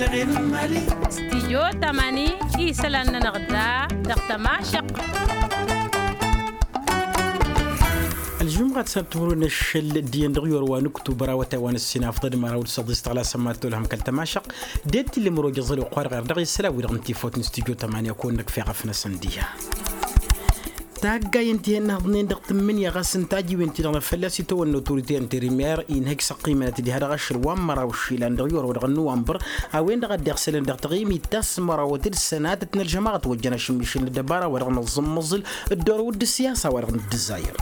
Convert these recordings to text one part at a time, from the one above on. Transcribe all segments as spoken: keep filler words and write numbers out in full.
Stijyo tamani isălan-nănăɣ da dăɣ-tămašăq. Ălžumɣat s-ad-timǝrwen ašăl d-iyyăn dăɣ-iwăr wa n-uktubăr awătay wa n-ǝssin afḍăd măraw d-săḍis tăɣlasăn mad-tolhăm kăl-tămašăq. Dd-tilǝm roja ẓăl oqq wa dăɣ-err dăɣ-isălan-wi-dăɣ n-tifawt n-stijyo tamani ad-kăwăn-năkf eɣăf-năsăn diha. Taggayen ti hennăhḍnen dăɣ-tǝmmǝnǝya ɣas n-tajiwen-ti-dăɣ n-fălla-s itawănna otorite interimer inhăj s-ăqqimănăt diha dăɣ-ašăl wa n-măraw išilan dăɣ-iwăr wa dăɣ-năwănbăr a-wen-dăɣ a dd-iɣsălăn dăɣ-taɣimit ta s-mărawăt d-sănatăt n-ălžămaɣăt wăjjăn ašǝmmišǝl n-ăddăbara wa dăɣ-năẓǝmmăẓǝl dd-orăw d-ǝssiyasa wa dăɣ-nǝddǝzzayăr.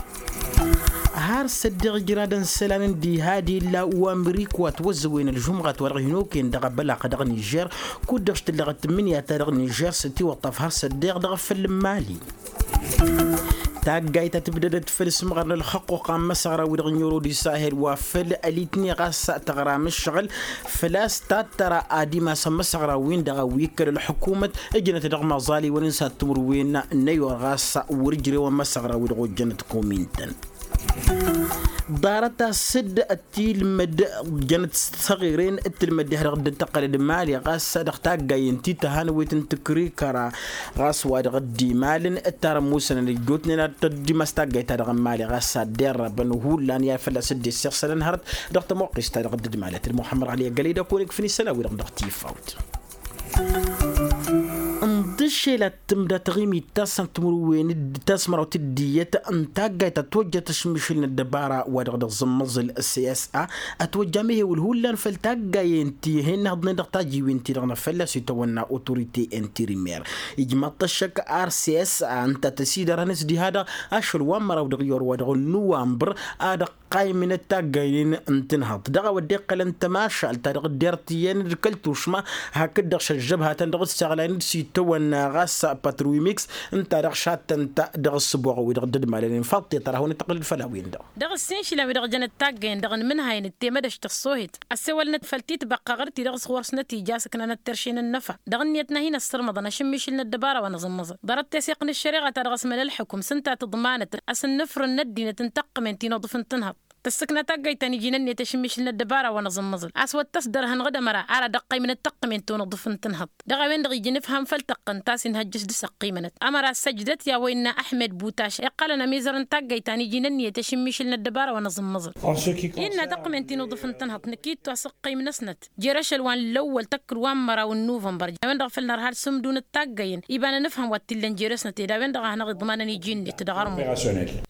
Har săddeɣ ijradăn isălan n-diha d-illa uwamrik wa ătwăzzăwen ălžumɣat wa dăɣ-hin-okăyăn dăɣ-abălaq dăɣ-nižer kud-dăɣ s-tǝllăɣăt tǝmmǝnǝya-ta-dăɣ nižer s-ătiwăṭṭaf har săddeɣ dăɣ-făll n-mali. Taggayt ta tǝbdădăt făll-isǝmɣăr n-ălxăqquqa n-imăsăɣra-wi-dăɣ n-irodis ahel wa făll-ălitni ɣas tăɣram ǝššăɣǝl făl-a-s tattăra ad-imas ămmăsăɣra-win-dăɣ a-wi kăl-ălḥǝkumăt ǝjnăt dăɣ-imaẓaliwăn n-sad-timǝrwen n-ayor ɣas wăr-ǝjrewăn imăsăɣra-wi-dăɣ ojjănăt komintăn. Ḍarăt-as dd-tilmăd jănăt s-taɣiren d-tilmăd diha dăɣ-dd-tăqqălăd mali ɣas dăɣ-taggayen ti tăhanăwet n-tǝkrikăra ɣas wa dăɣ-dd-imalăn d-tarămusănăn ăjjootnen ad-tăddimas taggayt-ta-dăɣ n-mali ɣas ad-dd-irrabăn hullan i-ad-fălla-s dd-issixsălăn hărăt dăɣ-tămoqqist-ta-dăɣ dd-imalăt d-muḥămmăd ɣali ăggălăy d-ad-kăwăn-ikfǝn isălan-wi-dăɣ dăɣ-tifawt. Ǝnḍǝššel ad-tǝmda taɣimit ta s-timǝrwen d-ta s-măraw d-iyyăt n-taggayt ta tojjăt ašmišǝl n-ăddăbara wa dăɣ-dăɣ zǝmmăẓǝl s s a ătwăjja amehewǝl hullan făll-taggayen ti hennăhḍnen dăɣ-tajiwen-ti-dăɣ n-afălla s-itawănna otorite interimer ijmaḍ-t ăššăk ar s s a ǝnta tăsidărhăn s-diha-dăɣ ašăl wa n-măraw dăɣ-iyyăr wa dăɣ-nǝwambăr a dăɣ-qaymǝnăt taggaynen n-tǝnhăḍt dăɣ-a-wa dd-iqqălăn tămašalt ta dăɣ-dd-irtǝyyăn d-kăl-tušma hakd-dăɣ šăžžăbhatăn dăɣ-dd-săɣlayăn d-sitawănna ɣas patrui mix ǝnta dăɣ-šattăn-ta dăɣ-ǝssǝboɣ-wi-dăɣ dd-ădmalănen faḍt-i tăra a hawăn-dd-tăqqǝlăd făll-a-wen-dăɣ. Dăɣ-ǝssin išilan wi-dăɣ jănăt taggăyăn dăɣ-inmǝnhayăn d-temădăšt ăṣṣoohet ăssewălnăt făll-titbăqqa ɣur-ti-dăɣ s-ɣur-snăt ija asǝknanăt terše n-ǝnnăfa dăɣ-ǝnniyăt n-ad-hin-ăssărmăḍăn ašǝmmišǝl n-ăddăbara wa n-aẓǝmmăẓăl ḍarăt teseɣt n-ăššăreɣa ta dăɣ-asmăl ălxukǝm s-ǝnta a tǝḍmanăt asǝnnǝfrǝn n-ăddinăt n-taqqǝmen ti n-uḍǝf n-tǝnhăḍt tǝssǝkna taggayt ta n-iji n-ǝnniyăt ašǝmmišǝl n-ăddăbara wa n-aẓǝmmăẓǝl a-s wăr tăsdărhăn ɣǝd ămăra ara dăɣ-ăqqăymǝnăt taqqǝmen ti n-uḍǝf n-tǝnhăḍt dăɣ-a-wen-dăɣ ija ănǝfham făll-tăqqǝn ta s-inhăjjăš dăɣ-s ăqqimănăt ămăra săjdăt i-a-wa innă ăḥmed butaš iqqălăn ămizăr n-taggayt ta n-iji n-ǝnniyăt ašǝmmišǝl n-ăddăbara wa n-aẓǝmmăẓǝl. Innă taqqǝmen ti n-uḍǝf n-tǝnhăḍt năkk ittu a-s ǝqqim-năsnăt jer-ašăl wa n-lăwwăl tăkk d-wa n-măraw n-nuvănbăr a-wen-dăɣ a făl nărha ad-sǝmdun d-taggayen iba n-anǝfhăm wa t-illăn jer-esnăt ed a-wen-dăɣ a hanăɣ-iḍmanăn iji-net dăɣ-armut.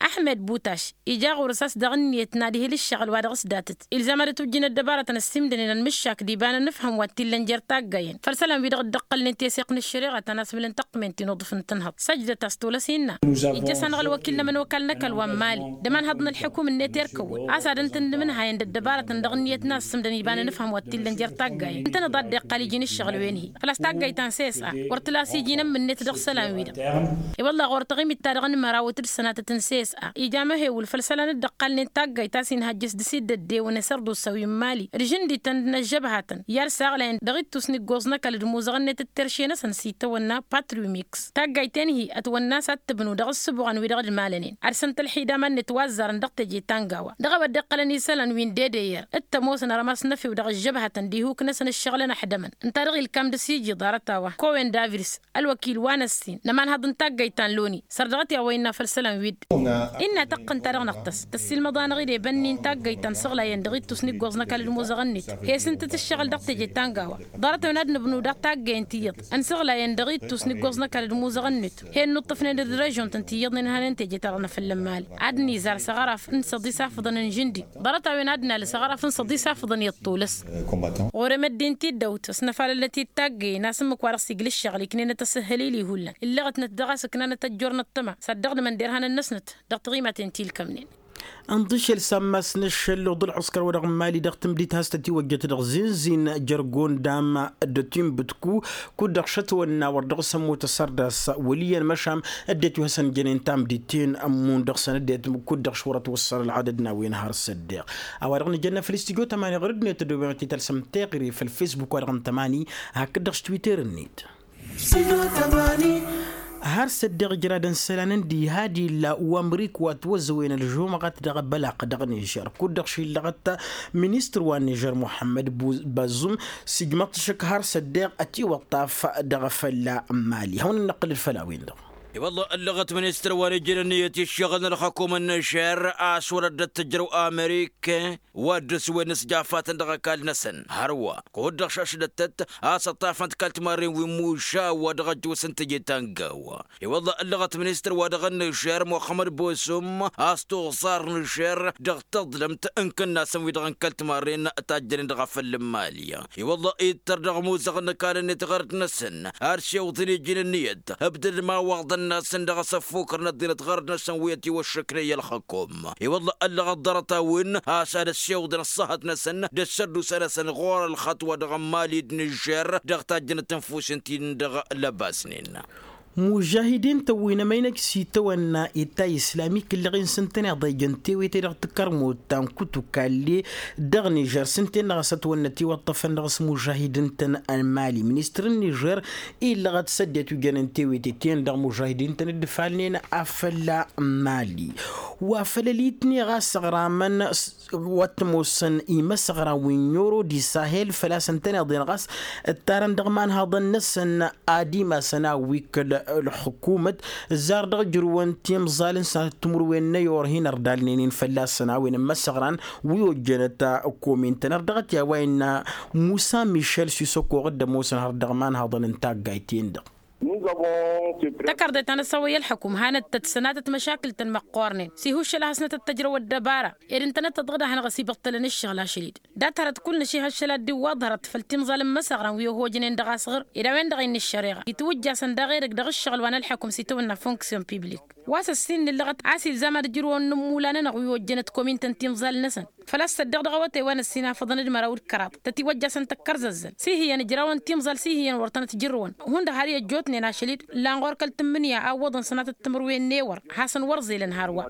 Aḥmed butaš ija ɣur-s a-s dăɣ-ǝnniyăt n-ad-ihǝl ǝššăɣǝl wa dăɣ-s datăt ilzam ad-ătwǝjjǝn ăddăbarătăn ăssimdănen ănmǝššak d-iba n-anǝfhăm wa t-illăn jer-taggayen făll-isălan-wi-dăɣ dd-ǝqqălnen teseɣt n-ăššăreɣa ta n-asmǝl n-taqqǝmen ti n-uḍǝf n-tǝnhăḍt săjdăt a-s tolăs innă ijjăs-anăɣ ălwăkil n-ămănokal n-ăkall wa n-mali d-ămanhăḍ n-ălḥukum-net erkăwăn a-s ad-ǝntǝn d-imǝnhayăn d-ăddăbarătăn dăɣ-ǝnniyăt n-ad-sǝmdăn iba n-anǝfhăm wa t-illăn jer-taggayăn ǝntăneḍ a dd-iqqal iji n-ǝššăɣǝl wen-hi făl-a-s taggayt ta n-sesa wăr tǝlas iji n-ǝmmǝnnet dăɣ-isălan-wi-dăɣ. I-wălla ɣur-taɣimit-ta-dăɣ n-mărawăt d-sănatăt n-sesa ija amăhewǝl făll-isălan dd-ăqqalnen taggayt a-s inhăjjăš d-isiddăddew n-asărdusa wi n-mali d-žǝndităn d-inăžžăbhatăn i-ad-saɣlayăn dăɣ-ittus n-iggoẓ n-ăkall d-imuzăɣ-net d-terše-năsăn s-itawănna patriu mix taggayt-en-hi ătwănna a-s ad-tǝbnu dăɣ-ǝssǝbuɣăn wi-dăɣ dd-malănen ad-săn-tălxidam ad-nǝtwazzarăn dăɣ-teje ta n-gawa dăɣ-a-wa dd-iqqălăn isălan wi n-dedeyer d-tămoosăn armas n-efew dăɣ-ăžžăbhătăn d-ihuk-năsăn ǝššăɣǝlăn ăḥdămăn ǝnta-dăɣ ilkam dăr-s iji ḍarăt-a-wa kowen davirs ălwăkil wa n-ăssin n-ămanhăḍ n-taggayt ta n-loni săr dăɣ-t i-a-wa innă făll-isălan wi-dd innă tăqqǝn-ta-dăɣ năɣtăs tăssiilmăḍ-anăɣ-dd ebanni n-taggayt ta n-săɣlayăn dăɣ-ittus n-iggoẓ n-ăkall d-imuzăɣ-net hesǝntăt ǝššăɣǝl dăɣ-teje ta n-gawa ḍarăt-awăn ad-nǝbnu daɣ taggayen tiyyăḍ ănsăɣlayăn dăɣ-ittus n-iggoẓ n-ăkall d-imuzăɣ-net hen nuṭṭăfnen d-režion-tăn tiyyăḍnen hanen teje-ta-dăɣ n-afălla n-mali ad-nǝzar s-aɣăraf n-săḍis afǝḍăn n-žǝndi ḍarăt-a-wen ad-nalǝs aɣăraf n-săḍis afǝḍăn i-ăṭṭulăs. Ɣur-emăddi n-tiddawt ăsnăfalălnăt-dd taggayen a-s ǝmmǝk wa dăɣ-s igl' ǝššăɣǝl iknenăt asǝhhălil ihullan ǝllăɣătnăt dăɣ-a-s ǝknanăt ăjjur n-ăṭṭăma s-ad-dăɣ-nǝmănderhanăn-năsnăt dăɣ-tiɣimaten ti ǝlkămnen. Ănḍǝšel s-ammas n-ašăl d-ălɣuskăr wa dăɣ-n mali dăɣ-tǝmdit has-tătiwăjjăt dăɣ-zinzin jer-gondam d-ătimbǝtku kud-dăɣ šătwănna wăr dăɣ-s ămmut ăssărdas wăl' iyyăn măšan ăddinăt wi hasăn-jănen tamdit-ten ămmun dăɣ-săn ăddinăt kud-dăɣ šwărăt wăssăn ălɣadăd n-a-wen har s-ăddeɣ a-wa dăɣ-nǝjănna făll-istudyo tămani ɣur-ăddinăt ăddooben ad-t-tălsăm teɣăre făll-fesbuk wa dăɣ-n tămani hakd-dăɣ s-twitter-net. Studio tămani. Har s-ăddeɣ ǝjradăn isălan n-diha d-illa uwamrik wa t-wăzăwen ălžumăɣăt dăɣ-bălaq dăɣ-nižer kud-dăɣ šillăɣăt ministăr wa n-nižer muḥămmăd bazum. S-ijmăḍ-t ašăk har s-ăddeɣ ătiwăṭṭaf dăɣ-fălla n-mali hawăn-dd-năqqǝlăd făll-a-wen-dăɣ. I-wălla ǝllăɣăt ministăr wa n-ijrăn iyyăt iššăɣǝl n-ălxăkum n-nižer a-s wăr ăddăt tǝjrăw amerike wa dd-ăswen s-jafatăn dăɣ-ăkall-năsăn hărwa kud-dăɣ šašlăt-tăt a-s ăṭṭafăn-t kăl-timarren wi n-muša wa dăɣ-ăjjoosăn teje ta n-gawa. I-wălla ǝllăɣăt ministăr wa dăɣ-ănnižer muxămmăd bosum a-s tuẓar nižer dăɣ-taḍlămt n-kănnasăn wi-dăɣ n-kăl-timarren tajjănen dăɣ-afăl n-mali. I-wălla ittăr dăɣ-amuzăɣ n-ăkall-net ɣărd-năsăn ad-siwǝḍăn iji n-ǝnniyăt ǝbdăd imawăḍăn-năsăn dăɣ-asăffukăr n-ăddinăt ɣărd-năsăn wi ătiwăššăknăy ălxăkum. I-wălla ăllăɣăt ḍarăt-a-wen a-s ad-ăssiwǝḍăn ăṣṣahăt-năsăn d-ăssăddusa-năsăn ɣur-ălxaṭwa dăɣ-ămmali d-nižer dăɣ-tajjănăt n-fusen ti-dăɣ lăbasnen. Mužahidin-tăn wi n-emăynăj s-itawănna ittay islamik ǝllăɣ-in s-ǝntăneḍ a ijăn tewete dăɣ-takărmut ta n-kutukalle dăɣ-nižer s-ǝnta-en-dăɣ a-s ătwănnătiwăṭṭăfăn dăɣ-s mužahidin-tăn n-mali ministăr n-nižer illăɣăt s-ăddinăt wi jănen tewete-ten-dăɣ mužahidin-tăn dd-ǝfalnen afăl n-mali. Wa făl ălitne ɣas ăɣramăn wa t-ămoosăn imăsăɣran wi n-oro d-isahel făl-a-s ǝntăneḍ-en ɣas ǝttarăn dăɣ-imanhaḍăn-năsăn ad-imasăn a wi kăl-ălxǝkumăt ǝzzar dăɣ-ijrǝwăn timẓal n-sănatăt timǝrwen n-ayor hin-ărdalnen-in fălla-săn a-wen n-imăsăɣran wi ojjănăt ăkkomen-tăn ărdăɣăt i-a-wa innă musa mišel s-isăkoɣ dd-ămoosăn har dăɣ-imanhaḍăn n-taggayt-en-dăɣ. Tăkărḍe ta n-ăsawăy ălxăkum hanăt-tăt sănatăt măšakǝl-tăn măqqoornen s-ihuššăl a hasnăt ăttăjrăw ăddăbara ed ǝntănăt-tăt dăɣ-dd-ad-hanăɣ-ăsibăṭṭălăn ǝššăɣǝl ašăl-dd. Dat-hărăt kull-năš ihăššăl ad-dd-iwwaḍ hărăt făll-timẓal n-imăsăɣran wi ăhojnen dăɣ-asɣǝr ed a-wen-dăɣ innă ăššăreɣa itwǝjjasăn daɣ edăgg dăɣ-ǝššăɣǝl wa n-ălxăkum s-itawănna fonksyon piblik. Wa s-ăssin nǝllăɣăt a-s ilzam ad-ǝjrǝwăn n-immulan-nănăɣ wi ojjănăt komin-tăn timẓal-năsăn făl-a-s tăddeɣ dăɣ-awătay wa n-ăssin afăḍăn d-măraw d-kăraḍ tătiwăjjasăn tăkkărzăzzăn s-ihǝyyăn ǝjrawăn timẓal s-ihǝyyăn wăr tănăt-jǝrrǝwăn hundăɣ har i-ăjjootnen ašăl-dd. Lan ɣur-kăl-tǝmmǝnǝya a ǝwwăḍăn sănatăt timǝrwen n-ewăr hasăn wăr ẓilăn hărwa.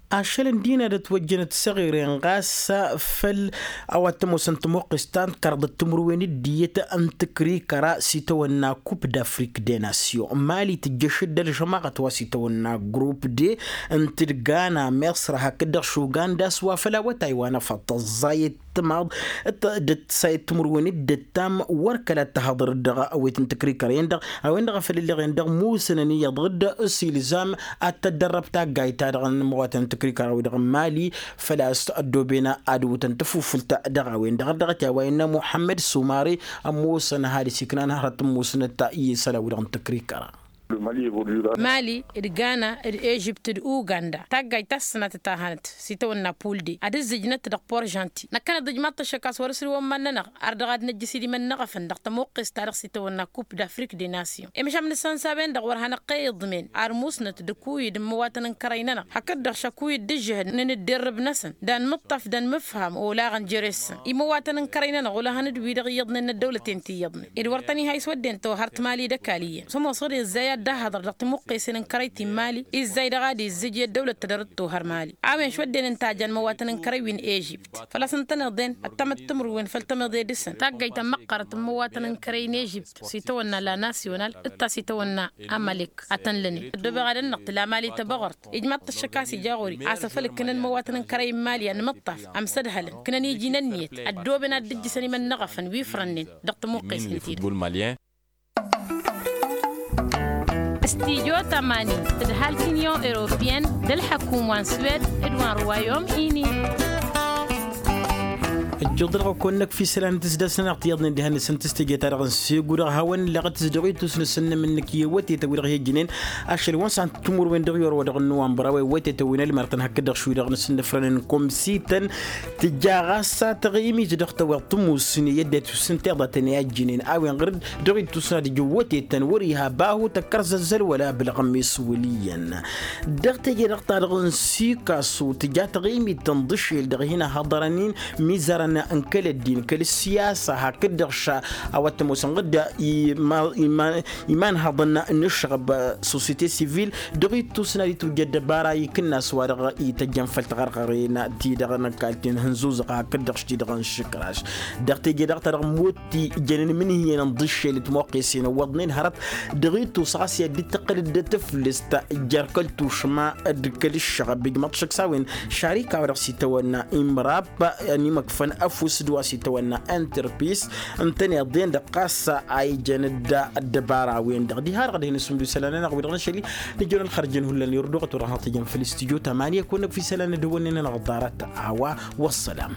Ašăl n-dinăr ătwăjjănăt s-eɣiren ɣas făll-a-wa t-ămoosăn tămoqqes ta n-kăraḍăt timǝrwen d-iyyăt n-tǝkrikăra s-itawănna kup d-afrik de nasyon mali tǝjjăš-dd ălžămaɣăt wa s-itawănna grup de ǝnta d-gana mesra hakd-dăɣ šuganda s-wa făll-awătay wa n-afăḍ tăẓẓayăt timaḍ d-sayăt timǝrwen d-ǝttam wăr kăla t-tăhăḍăr-dd dăɣ-awet n-tǝkrikăra-en-dăɣ a-wen-dăɣ a făl ǝlleɣen dăɣ-musǝnăn iyyăḍ dd-s ilzam ad-tăddărrăb taggayt-ta-dăɣ n-imăwatăn n-tǝkrikăra-wi-dăɣ n-mali. Făl-a-s ăddooben ad-ǝwwǝtăn tafufǝlt dăɣ-a-wen-dăɣ ărdăɣăt i-a-wa innă muḥămmăd sumari ămoosăn ad-ăsiknan hărăt n-musǝnăt i-isălan-wi-dăɣ n-tǝkrikăra. Mali d-gana d-ežipt d-uganda taggayt ta s-sănatăt ta hanăt s-itawănna pulde ad-ǝzzǝjnăt dăɣ-porjanti năkkăneḍ ijmaḍ-t ăššăk a-s wăr-ǝsrǝwăn iman-nănăɣ ar dăɣ-ad-năjjǝs idimăn n-eɣăfăn dăɣ-tămoqqest-ta-dăɣ s-itawănna kup d-afrik de nasyon. Imšam n-isănsaben-dăɣ wăr hanăɣ-qa iḍmen ar musnăt d-akuyǝd n-imăwatăn n-kărăy-nănăɣ hakd-dăɣ šakuyǝd d-ǝžžǝhǝd n-inǝdderrǝb-năsăn d-anmǝṭṭaf d-anmǝfham olaɣăn jere-săn imăwatăn n-kărăy-nănăɣ olăhăn d-wi-dăɣ iyyăḍnen n-ăddăwlăten ti iyyăḍnen ed wăr tăn-iha iswădden-to har timali d-ăkall iyyăn s-ămoosăɣ-dd izzay ad-dd-ahăḍăr dăɣ-timǝqqesen n-kărăy ti n-mali izzay dăɣ-ad-izzǝj i-ăddăwlăt tadărăt-to har mali. A-wen šwădden ǝnta a jan imăwatăn n-kărăy wi n-ežipt făl-a-s ǝntăneḍ-en ăttămăt timǝrwen făll-tamăḍe dăɣ-săn taggayt ta n-măqqărăt n-imăwatăn n-kărăy n-ežipt s-itawănna la nasyonal d-ta s-itawănna amalek. Ad-tăn-lănen ăddoobeɣ ad-ănnăɣ tǝla mali tăbăɣurt ijmaḍ-t ăššăk a-s ija ɣur-i a-s afăl ǝkkǝnăn imăwatăn n-kărăy n-mali anmǝṭṭaf ămsădhălăn ǝkkǝnăn iji n-ǝnniyăt ăddooben ad-dd-ǝjjǝsăn imănnăɣăfăn wi ifrănnen dăɣ-tămuqqes n-tidǝt. Stijo tămani tǝdhal tinyon europiyăn d-ălḥăkum wa n-swed d-wa n-ruwayom ini. Ǝjjǝḍ-dăɣ ăkonnăk fi isălan n-tǝsdăs-nănăɣ tiyyăḍnen diha-năsăn tǝstǝje-ta-dăɣ n-segu-dăɣ hawăn-illeɣ tǝzdeɣ ittus n-asǝnnăm-nǝk i-awătetăn wi-dăɣ hi-ǝjnen ašăl wa n-săn timǝrwen dăɣ-i orăwădăɣ n-nuwănbăr a-wa iwătetăn wi n-ălmărtăn hakd-dăɣ šwi-dăɣ n-asǝnnăfrănăn komsităn. Tǝja ɣas a taɣimit dăɣ-tawăḍ tǝmmusǝne i-ăddinăt wi s-ǝnta iḍatăn i-ajjǝnen a-wen ɣur-dd dăɣ-ittus n-ad-ija iwătetăn wăr-iha bahu tăkkărzăzzăl wăla abǝlɣǝm iswǝl iyyăn. Dăɣ-teje-dăɣ-ta-dăɣ n-sikasu tǝja taɣimit tănḍǝšel dăɣ-hin-ăhhăḍărăn-in mizăra. n-kăl-ăddin kăl-ăssiyasa hakd-dăɣ ša a-wa t-ămoosăn ɣǝdda imanhăḍăn n-ǝššăɣăb, sosiyete sivil dăɣ-ittus n-ad-itwǝjj ăddăbara ikǝnna s-wa-dăɣ ităjjăn făll-tiɣărɣăren-ti-dăɣ n-ăkall ti n-hǝnzuzăɣ hakd-dăɣ š-ti-dăɣ n-išǝkraš. Dăɣ-teje-dăɣ-ta-dăɣ ămmoot ti jănen imǝnhǝyăn n-iḍǝššel d-timoqqesen ǝwwăḍnen hărăt dăɣ-ittus ɣas i-ad-dd-tǝqqǝl d-tǝflǝst jer-kăl-tušma d-kăl-ǝššăɣăb ijmăḍ šăkk s-a-wen šarika wa dăɣ-s itawănna imrab n-imăkfăn ăfuss d-wa s-itawănna interpis. Ǝntăneḍ-en-dăɣ ɣas a ijăn dd-ăddăbara-wen-dăɣ diha-dăɣ d-hin-ǝssǝmdu isălan-nănăɣ wi-dăɣ n-ašăl-i. Nǝjrăn ălxărjăn hullan irduɣăt wăr-dăɣ-tăjăn făll-studyo tamanya kăwăn-năkf isălan d-hawăn-nen-nănăɣ ḍarăt a-wa. Wăssălam.